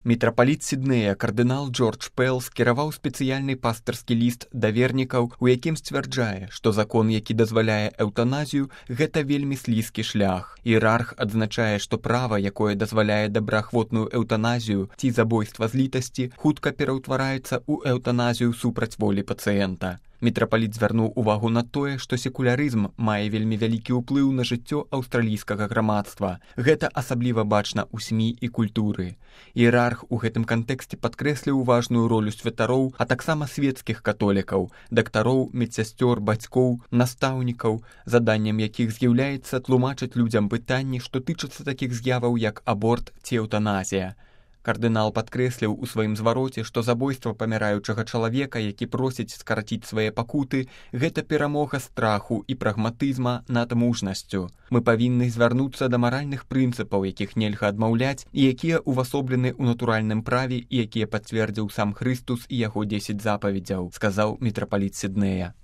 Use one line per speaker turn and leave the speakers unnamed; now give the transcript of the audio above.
Мітрапаліт Сіднея кардынал Джордж Пэл скіраваў спецыяльны пастырскі ліст да вернікаў, у якім сцвярджае, што закон, які дазваляе эўтаназію, гэта вельмі слізкі шлях. Іерарх адзначае, што права, якое дазваляе добраахвотную эўтаназію ці забойства з літасці, хутка пераўтвараецца ў эўтаназію супраць волі пацыента. Мітрапаліт звярнуў увагу на тое, што секулярызм мае вельмі вялікі ўплыў на жыццё аўстралійскага грамадства. Гэта асабліва бачна ў СМІ і культуры. Іерарх у гэтым кантэксце падкрэсліў важную ролю святароў, а таксама свецкіх католікаў, дактароў, медсясцёр, бацькоў, настаўнікаў, заданнем якіх з'яўляецца тлумачыць людзям пытанні, што тычацца такіх з'яваў, як аборт ці эўтаназія. Кардынал падкрэсліў у сваім звароце, што забойства паміраючага чалавека, які просіць скараціць свае пакуты, гэта перамога страху і прагматызма над мужнасцю. Мы павінны звярнуцца да маральных прынцыпаў, якіх нельга адмаўляць, і якія ўвасоблены ў натуральным праве і якія пацвердзіў сам Хрыстус і яго 10 запаведзяў, сказаў мітрапаліт Сіднея.